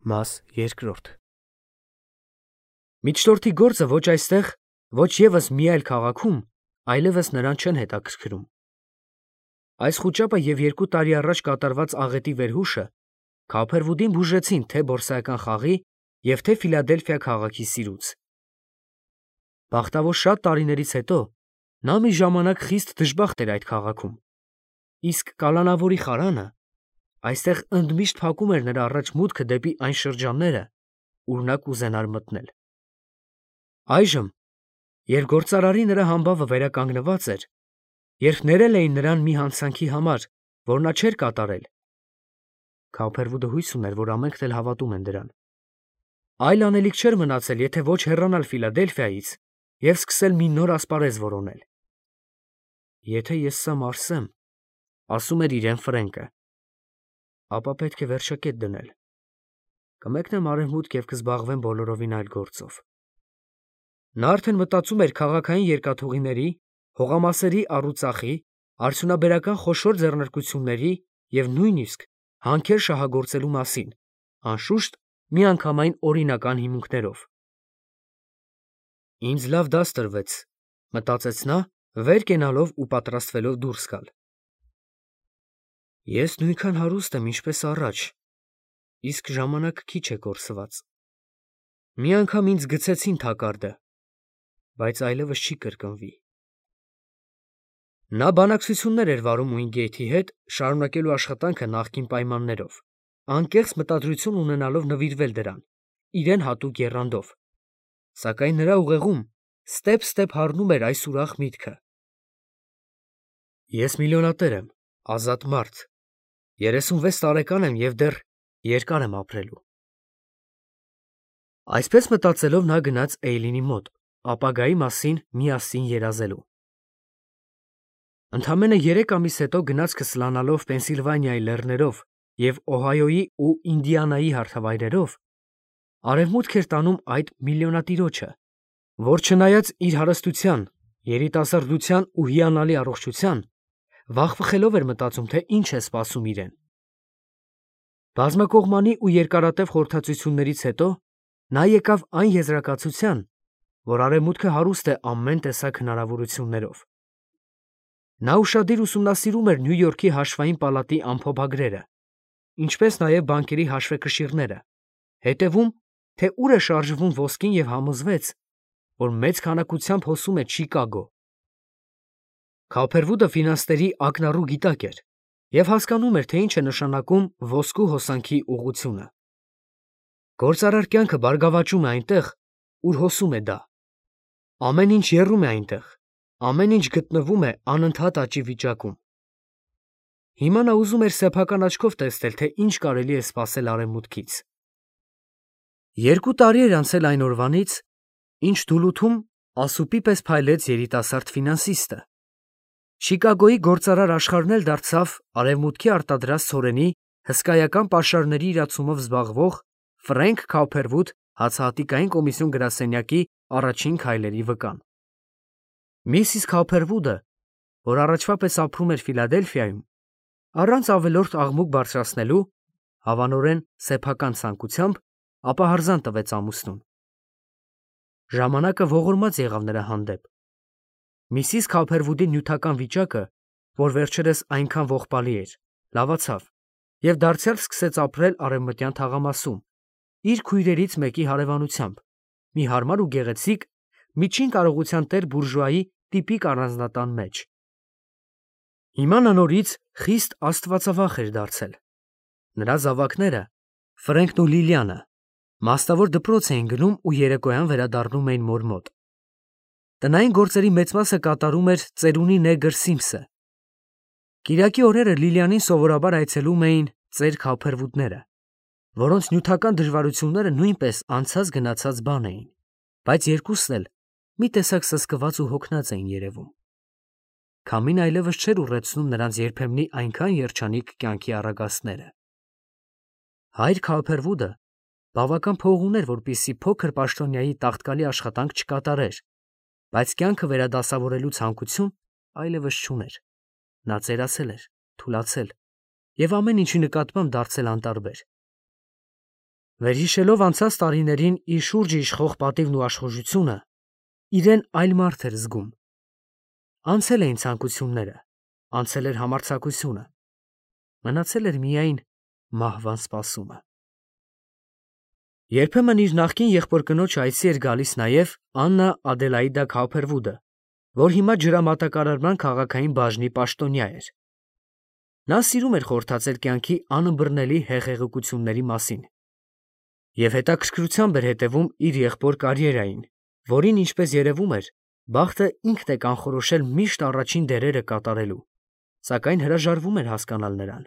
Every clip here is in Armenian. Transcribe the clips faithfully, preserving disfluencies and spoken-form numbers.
Մաս երկրորդ Միջնորդի գործը ոչ այստեղ, ոչ ևս մի այլ քաղաքում, այլևս նրան չեն հետաքրքրում։ Այս խուճապը և երկու տարի առաջ կատարված աղետի վերհուշը Քոփերվուդին բուժեցին թե բորսայական խաղի և թե Ֆիլադելֆիա քաղաքի սիրուց։ Բախտավոր շատ տարիներից հետո նա մի ժամանակ խիստ դժբախտ էր այդ քաղաքում, իսկ կալանավորի խարանը այստեղ ընդմիշտ փակում էր նրա առաջ մուտքը դեպի այն շրջանները, ուր նա կուզենար մտնել։ Այժմ, երբ գործարարի նրա համբավը վերականգնված էր, երբ ներել էին նրան մի հանցանքի համար, որ նա չէր կատարել, Քոփերվուդը հույս ուներ, որ ամենքն էլ հավատում են դրան, այլ անելիք չէր մնացել, եթե ոչ հեռանալ Ֆիլադելֆիայից և սկսել մի նոր ասպարեզ որոնել։ «Եթե ես սա մարսեմ, ֊ ասում էր իրեն Ֆրենկը, ֊ ապա պետք է վերջակետ դնել, կմեկնեմ արևմուտք և կզբաղվեմ բոլորովին այլ գործով»։ Նա արդեն մտածում էր քաղաքային երկաթուղիների, հողամասերի առուծախի, արդյունաբերական խոշոր ձեռնարկությունների և նույնիսկ հանքեր շահագործելու մասին, անշուշտ, միանգամայն օրինական հիմունքներով։ «Ինձ լավ դաս տրվեց, ֊ մտածեց նա, վեր կենալով ու պատրաստվելով դուրս գալ։ Ես նույնքան հարուստ եմ, ինչպես առաջ, իսկ ժամանակ քիչ է կորսված։ Մի անգամ ինձ գցեցին թակարդը, բայց այլևս չի կրկնվի»։ Նա բանակցություններ էր վարում Ուինգեյթի հետ, շարունակելու աշխատանքը նախկին պայմաններով, անկեղծ մտադրություն ունենալով նվիրվել դրան, իրեն հատուկ եռանդով, սակայն նրա ուղեղում ստեպ-ստեպ հառնում էր այս ուրախ միտքը. «Ես միլիոնատեր եմ, ազատ մարդ, երեսունվեց տարեկան եմ և դեռ երկար եմ ապրելու»։ Այսպես մտածելով նա գնաց Էյլինի մոտ, ապագայի մասին միասին երազելու։ Ընդամենը երեք ամիս հետո գնացքը սլանալով Պենսիլվանիայի լեռներով և Օհայոյի ու Ինդիանայի հարթավայրերով, արևմուտք էր տանում այդ միլիոնատիրոջը, որ չնայած իր հարստության, երիտասարդության ու հիանալի առողջության, վախվխելով էր մտածում, թե ինչ է սպասում իրեն։ Բազմակողմանի ու երկարատև խորհրդածություններից հետո նա եկավ այն եզրակացության, որ արևմուտքը հարուստ է ամեն տեսակ հնարավորություններով։ Նա ուշադիր ուսումնասիրում էր Նյու Յորքի հաշվային պալատի ամփոփագրերը, ինչպես նաև բանկերի հաշվեկշիռները, հետևում, թե ուր է շարժվում ոսկին և համոզվեց, որ մեծ քանակությամբ հոսում է Չիկագո։ Քոփերվուդը ֆինանսների ակնառու գիտակ էր և հասկանում էր, թե ինչ է նշանակում ոսկու հոսանքի ուղղությունը։ Գործարար կյանքը բարգավաճում է այնտեղ, ուր հոսում է դա։ Ամեն ինչ եռում է այնտեղ, ամեն ինչ գտնվում է անընդհատ աճի վիճակում։ Հիմա նա ուզում էր սեփական աչքով տեսնել, թե ինչ կարելի է սպասել արևմուտքից։ Երկու տարի էր անցել այն օրվանից, ինչ Դուլութում ասուպի պես փայլեց երիտասարդ ֆինանսիստը։ Չիկագոյի գործարար աշխարհն էլ դարձավ արևմուտքի արտադրած ցորենի հսկայական պաշարների իրացումով զբաղվող Ֆրենկ Քոփերվուդ հացահատիկային կոմիսիոն գրասենյակի առաջին քայլերի վկան։ Միսիս Քոփերվուդը, որ առաջվա պես ապրում էր Ֆիլադելֆիայում, առանց ավելորդ աղմուկ բարձրացնելու, հավանորեն սեփական ցանկությամբ, ապահարզան տվեց ամուսնուն։ Ժամանակը ողորմած եղավ նրա հանդեպ։ Միսիս Քոփերվուդի նյութական վիճակը, որ վերջերս այնքան ողբալի էր, լավացավ, և դարձյալ սկսեց ապրել արևմտյան թաղամասում, իր քույրերից մեկի հարևանությամբ, մի հարմար ու գեղեցիկ, միջին կարողության տեր բուրժուայի տիպիկ առանձնատան մեջ։ Հիմա նա նորից խիստ աստվածավախ էր դարձել։ Նրա զավակները՝ Ֆրենկն ու Լիլիանը, մասնավոր դպրոց էին գնում ու երեկոյան վերադառնում էին մոր մոտ։ Տնային գործերի մեծ մասը կատարում էր ծերունի նեգր Սիմսը։ Կիրակի օրերը Լիլիանին սովորաբար այցելում էին ծեր Քոփերվուդները, որոնց նյութական դժվարությունները նույնպես անցած֊գնացած բան էին, բայց երկուսն էլ մի տեսակ սսկված ու հոգնած էին երևում։ Քամին այլևս չէր ուռեցնում նրանց երբեմնի այնքան երջանիկ կյանքի առագաստները։ Հայր Քոփերվուդը բավական փող ուներ, որպեսզի փոքր պաշտոնյայի տաղտկալի աշխատանք չկատարեր, բայց կյանքը վերադասավորելու ցանկություն այլևս չուներ։ Նա ծերացել էր, թուլացել և ամեն ինչի նկատմամբ դարձել անտարբեր։ Վերհիշելով անցած տարիներին իր շուրջը իշխող պատիվն ու աշխուժությունը, իրեն այլ մարդ էր զգում։ Անցել էին ցանկությունները, անցել էր համարձակությունը, մնացել էր միայն մահվան սպասումը։ Երբեմն իր նախկին եղբոր կնոջ այցի էր գալիս նաև Աննա Ադելաիդա Քաուփերվուդը, որ հիմա ջրամատակարարման քաղաքային բաժնի պաշտոնյա էր։ Նա սիրում էր խորհրդածել կյանքի անըմբռնելի հեղեղությունների մասին և հետաքրքրությամբ էր հետևում իր եղբոր կարիերային, որին, ինչպես երևում էր, բախտը ինքն է կանխորոշել միշտ առաջին դերերը կատարելու, սակայն հրաժարվում էր հասկանալ նրան։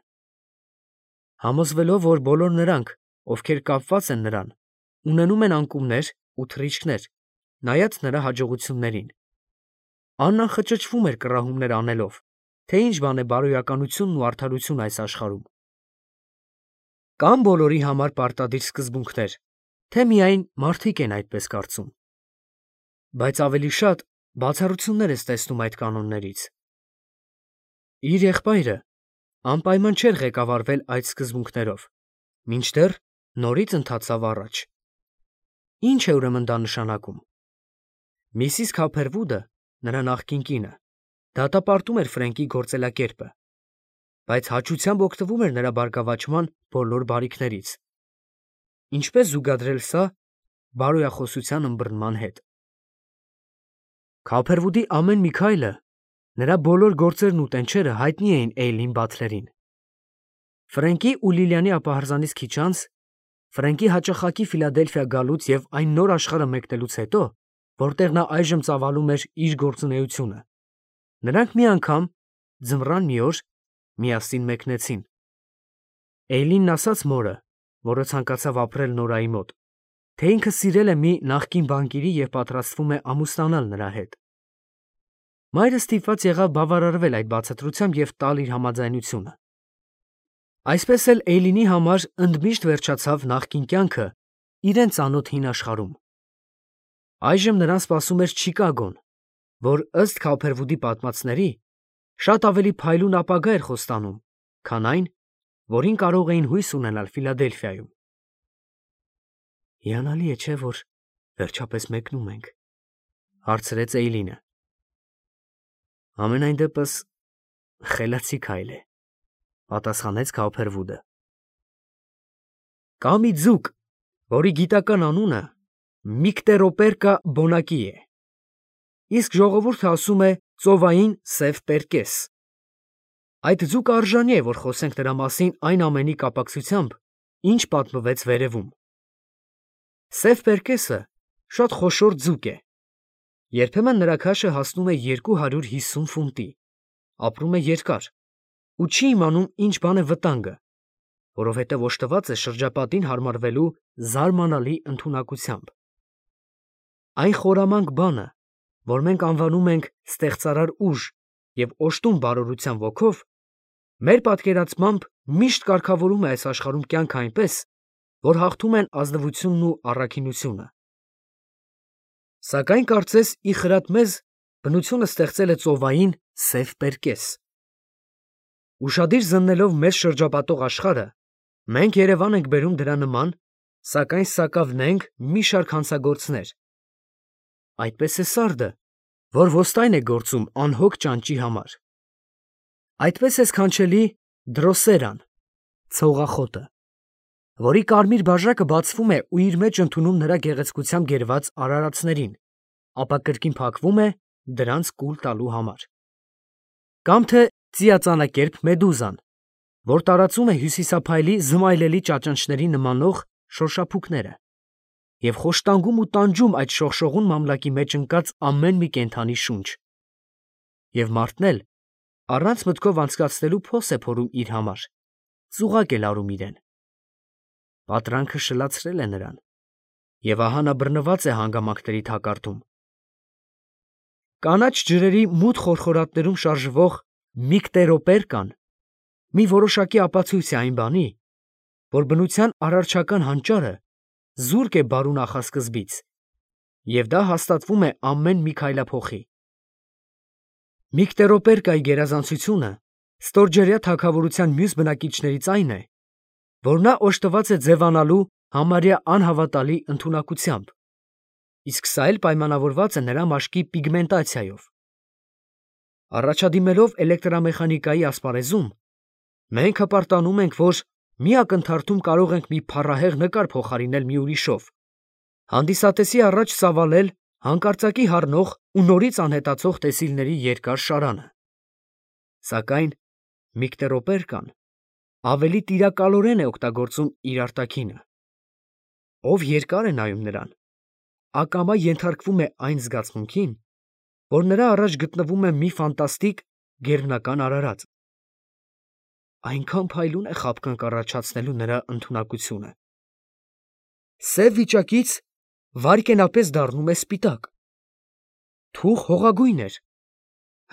Համոզվելով, որ բոլոր նրանք, ովքեր կապված են նրան, ունենում են անկումներ ու թռիչքներ, նայած նրա հաջողություններին, Աննան խճճվում էր կռահումներ անելով, թե ինչ բան է բարոյականությունն ու արդարությունը այս աշխարհում։ Կան բոլորի համար պարտադիր սկզբունքներ, թե միայն մարդիկ են այդպես կարծում։ Բայց ավելի շատ բացառություններ ես տեսնում այդ կանոններից։ Իր եղբայրը անպայման չէր ղեկավարվել այդ սկզբունքներով, մինչդեռ նորից ընթացավ առաջ։ Ինչ է ուրեմն դա նշանակում։ Միսիս Քափերվուդը, նրա նախկին կինը, դատապարտում էր Ֆրենկի գործելակերպը, բայց հաճությամբ օգտվում էր նրա բարգավաճման բոլոր բարիքներից։ Ինչպես զուգադրել սա բարոյախոսության ըմբռնման հետ։ Քափերվուդի ամեն մի քայլը, նրա բոլոր գործերն ու տենչերը հայտնի էին Էյլին Բաթլերին։ Ֆրենկի ու Լիլիանի ապահարզանից քիչ անց, Ֆրենկի հաճախակի Ֆիլադելֆիա գալուց և այն նոր աշխարհը մեկնելուց հետո, որտեղ նա այժմ ծավալում էր իր գործունեությունը, նրանք մի անգամ, ձմռան մի օր, միասին մեկնեցին։ Էյլինն ասաց մորը, որը ցանկացավ ապրել Նորայի մոտ, թե ինքը սիրել է մի նախկին բանկիրի և պատրաստվում է ամուսնանալ նրա հետ։ Մայրը ստիպված եղավ բավարարվել այդ բացատրությամբ և տալ իր համաձայնությունը։ Այսպես էլ Էյլինի համար ընդմիշտ վերջացավ նախկին կյանքը իրեն ծանոթ հին աշխարհում։ Այժմ նրան սպասում էր Չիկագոն, որ ըստ Քափերվուդի պատմածների, շատ ավելի փայլուն ապագա էր խոստանում, քան այն, որին կարող էին հույս ունենալ Ֆիլադելֆիայում։ Հիանալի է, չէ՞, որ վերջապես մեկնում ենք, հարցրեց Էյլինը։ Համենայն դեպս խելացի քայլ է, պատասխանեց Քափերվուդը։ Կա մի ձուկ, որի գիտական անունը Միկտերոպերկա բոնակի է, իսկ ժողովուրդը ասում է ծովային սև պերկես։ Այդ ձուկը արժանի է, որ խոսենք նրա մասին այն ամենի կապակցությամբ, ինչ պատմվեց վերևում։ Սև պերկեսը շատ խոշոր ձուկ է։ Երբեմն նրա քաշը հասնում է երկու հարյուր հիսուն ֆունտի, ապրում է երկար ու չի իմանում ինչ բան է վտանգը, որովհետև օժտված է շրջապատին հարմարվելու զարմանալի ընդունակությամբ։ Այն խորամանկ բանը, որ մենք անվանում ենք ստեղծարար ուժ և օժտում բարօրության ոգով, մեր պատկերացմամբ միշտ կարգավորում է այս աշխարհում կյանքը այնպես, որ հաղթում են ազնվությունն ու առաքինությունը։ Սակայն կարծես ի խրատ մեզ բնությունը ստեղծել է ծովային սև պերկես։ Ուշադիր զննելով մեզ շրջապատող աշխարհը, մենք երևան ենք բերում դրա նման, սակայն սակավնենք մի շարք հանցագործներ։ Այդպես է սարդը, որ ոստայն է գործում անհոգ ճանճի համար։ Այդպես է սքանչելի դրոսերան, ցողախոտը, որի կարմիր բաժակը բացվում է ու իր մեջ ընդունում նրա գեղեցկությամբ գերված արարածներին, ապա կրկին փակվում է դրանց կուլ տալու համար։ Կամ թե ծիածանակերպ մեդուզան, որ տարածում է հյուսիսափայլի զմայլելի ճաճանճների նմանող շոշափուկները և խոշտանգում ու տանջում այդ շողշողուն մամլակի մեջ ընկած ամեն մի կենդանի շունչ։ Եվ մարդն էլ առանց մտքով անցկացնելու փոս է փորում իր համար, ծուղակ է լարում իրեն։ Պատրանքը շլացրել է նրան, և ահա նա բռնված է հանգամանքների թակարդում։ Կանաչ ջրերի մութ խորխորատներում շարժվող Միկտերոպերկան մի որոշակի ապացույց է այն բանի, որ բնության արարչական հանճարը զուրկ է բարու նախասկզբից, և դա հաստատվում է ամեն մի քայլափոխի։ Միկտերոպերկայի գերազանցությունը ստորջրյա թագավորության մյուս բնակիչներից այն է, որ նա օժտված է ձևանալու համարյա անհավատալի ընդունակությամբ, իսկ սա էլ պայմանավորված է նրա մաշկի պիգմենտացիայով։ Առաջադիմելով էլեկտրամեխանիկայի ասպարեզում, մենք հպարտանում ենք, որ մի ակնթարթում կարող ենք մի փառահեղ նկար փոխարինել մի ուրիշով, հանդիսատեսի առաջ ծավալել հանկարծակի հառնող ու նորից անհետացող տեսիլների երկար շարանը։ Սակայն Միկտերոպերկան ավելի տիրակալորեն է օգտագործում իր արտաքինը։ Ով երկար է նայում նրան, ակամա ենթարկվում է այն զգացմունքին, որ նրա առաջ գտնվում է մի ֆանտաստիկ գերբնական արարած։ Այնքան փայլուն է խաբկանք առաջացնելու նրա ընդունակությունը։ Սև վիճակից վայրկենապես դառնում է սպիտակ, թուխ հողագույն էր,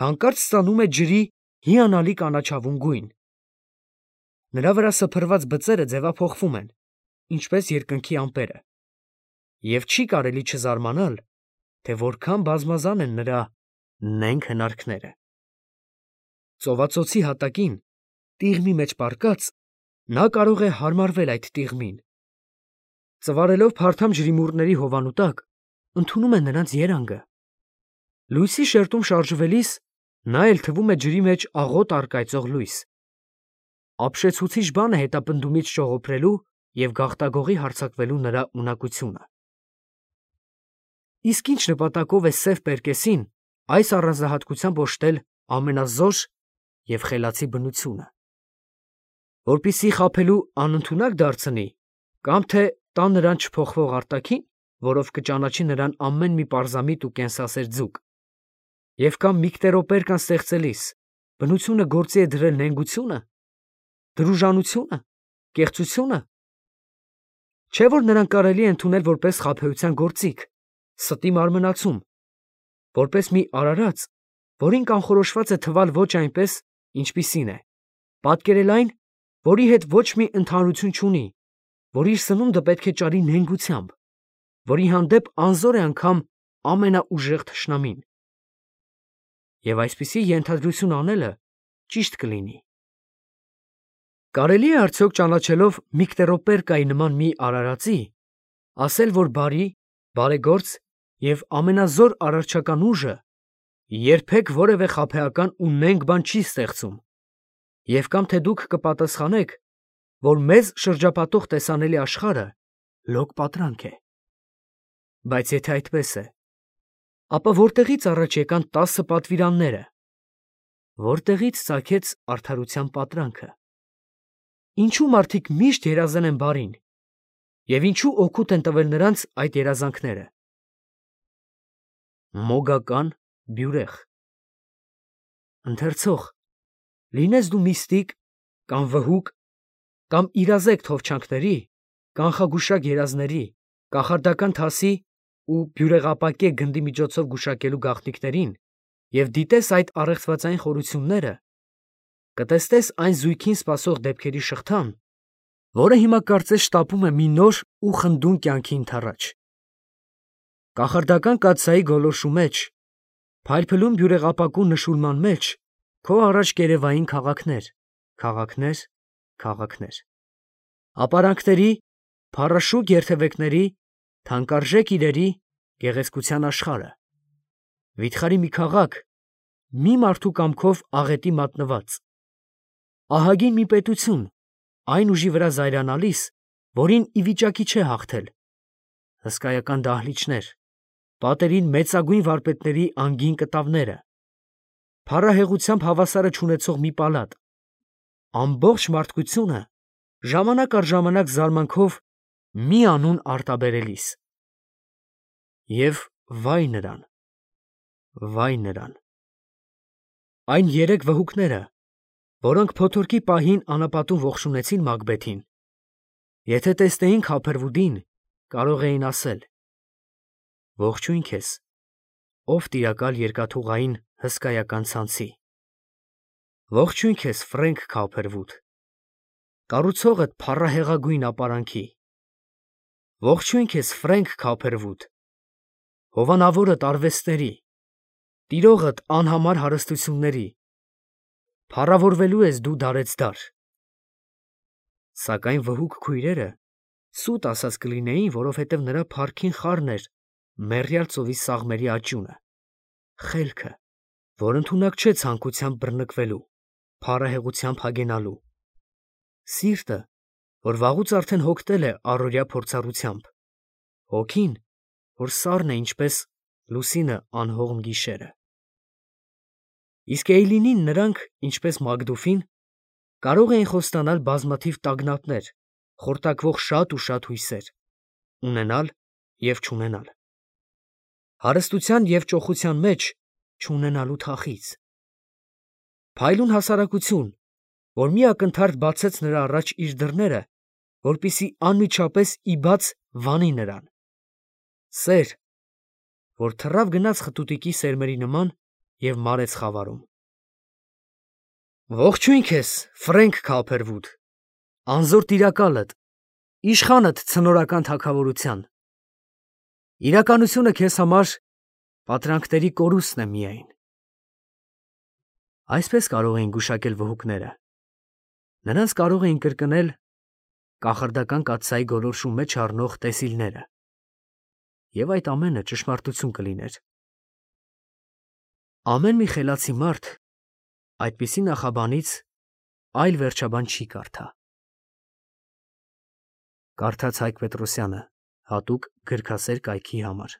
հանկարծ ստանում է ջրի հիանալի կանաչավուն գույն։ Նրա վրա սփռված բծերը ձևափոխվում են, ինչպես երկնքի ամպերը, և չի կարելի չզարմանալ, թե որքան բազմազան են նրա նենգ հնարքները։ Ծովածոցի հատակին, տիղմի մեջ պառկած, նա կարող է հարմարվել այդ տիղմին։ Ծվարելով փարթամ ջրիմուռների հովանու տակ, ընդունում է նրանց երանգը։ Լույսի շերտում շարժվելիս նա էլ թվում է ջրի մեջ աղոտ առկայծող լույս։ Ապշեցուցիչ բան է հետապնդումից ճողոպրելու և գաղտագողի հարձակվելու նրա ունակությունը։ Իսկ ինչ նպատակով է սև պերկեսին այս առանձնահատկությամբ օժտել ամենազոր և խելացի բնությունը։ Որպեսզի խաբելու անընդունակ դարձնի, կամ թե տա նրան չփոխվող արտաքին, որով կճանաչի նրան ամեն մի պարզամիտ ու կենսասեր ձուկ, և կամ Միկտերոպերկան ստեղծելիս բնությունը գործի է դրել նենգությունը, դրուժանությունը, կեղծությունը, չէ՞ որ նրան կարելի է ընդունել որպես խաբեության գործիք, ստի մարմնացում, որպես մի արարած, որին կանխորոշված է թվալ ոչ այնպես, ինչպիսին է, պատկերել այն, որի հետ ոչ մի ընդհանրություն չունի, որ իր սնունդը պետք է ճարի նենգությամբ, որի հանդեպ անզոր է անգամ ամենաուժեղ թշնամին։ Եվ այսպիսի ենթադրություն անելը ճիշտ կլինի։ Կարելի է արդյոք ճանաչելով Միկտերոպերկայի նման մի արարածի, ասել, որ բարի, բարեգործ և ամենազոր արարչական ուժը երբեք որևէ խաբեական ու նենգ բան չի ստեղծում, և կամ թե դուք կպատասխանեք, որ մեզ շրջապատող տեսանելի աշխարհը լոկ պատրանք է։ Բայց եթե այդպես է, ապա որտեղի՞ց առաջ եկան տասը պատվիրանները, որտեղի՞ց ծագեց արդարության պատրանքը։ Ինչու մարդիկ միշտ երազել են բարին, և ինչու օգուտ են տվել նրանց այդ երազանքները։ Մոգական բյուրեղ։ Ընթերցող, լինես դու միստիկ, կամ վհուկ, կամ իրազեկ թովչանկների, կանխագուշակ երազների, կախարդական թասի ու բյուրեղապակե գնդի միջոցով գուշակելու գաղտնիքներին և դիտես այդ առեղծվածային խորությունները, կտեսնես այն զույգին սպասող դեպքերի շղթան, որը հիմա կարծես շտապում է մի նոր ու խնդուն կյանքի ընդառաջ։ Կախարդական կաթսայի գոլորշու մեջ, փայլփլուն բյուրեղապակու նշույլման մեջ քո առաջ կերևային քաղաքներ, քաղաքներ, քաղաքներ, ապարանքների, փառաշուկ երթևեկների, թանկարժեք իրերի, գեղեցկության աշխարհը, վիթխարի մի քաղաք, մի մարդու կամքով աղետի մատնված, ահագին մի պետություն, այն ուժի վրա զայրանալիս, որին ի վիճակի չէ հաղթել, հսկայական դահլիճներ, պատերին մեծագույն վարպետների անգին կտավները, փառահեղությամբ հավասարը չունեցող մի պալատ, ամբողջ մարդկությունը ժամանակ առ ժամանակ զարմանքով մի անուն արտաբերելիս։ Եվ վայ նրան, վայ նրան։ Այն երեք վհուկները, որոնք փոթորկի պահին անապատում ողջունեցին Մակբեթին, եթե տեսնեին Քափերվուդին, կարող էին ասել. «Ողջույն քեզ, ով տիրակալ երկաթուղային հսկայական ցանցի, ողջույն քեզ, Ֆրենկ Քափերվուդ, կառուցողդ փառահեղագույն ապարանքի, ողջույն քեզ, Ֆրենկ Քափերվուդ, հովանավորդ արվեստների, տիրողդ անհամար հարստությունների, փառավորվելու ես դու դարեցդար»։ Սակայն վհուկ քույրերը Սուտ ասած կլինեին, որովհետև նրա փառքին խառն էր մեռյալ ծովի սաղմերի աճյունը, խելքը, որ ընդունակ չէ ցանկությամբ բռնկվելու, փառահեղությամբ հագենալու, սիրտը, որ վաղուց արդեն հոգնել է առօրյա փորձառությամբ, հոգին, որ սառն է ինչպես լուսինը անհողմ գիշերը։ Իսկ Էյլինին նրանք, ինչպես Մակդուֆին, կարող էին խոստանալ բազմաթիվ տագնապներ, խորտակվող շատ ու շատ հույսեր, ունենալ և չունենալ, հարստության և ճոխության մեջ չունենալու թախիծ, փայլուն հասարակություն, որ մի ակնթարթ բացեց նրա առաջ իր դռները, որպեսզի անմիջապես ի բաց վանի նրան, սեր, որ թռավ գնաց խտուտիկի սերմերի նման և մարեց խավարում։ Ողջույն քեզ, Ֆրենք Քափերվուդ, անզոր տիրակալդ, իշխանդ ցնորական թագավորության, իրականությունը քեզ համար պատրանքների կորուստն է միայն։ Այսպես կարող էին գուշակել վհուկները, նրանց կարող էին կրկնել կախարդական կաթսայի գոլորշու մեջ առնող տեսիլները, և այդ ամենը ճշմարտություն կլիներ։ Ամեն մի խելացի մարդ այդպիսի նախաբանից այլ վերջաբան չի կարդա։ Կարդաց Հայկ Պետրոսյանը հատուկ գրքասեր կայքի համար։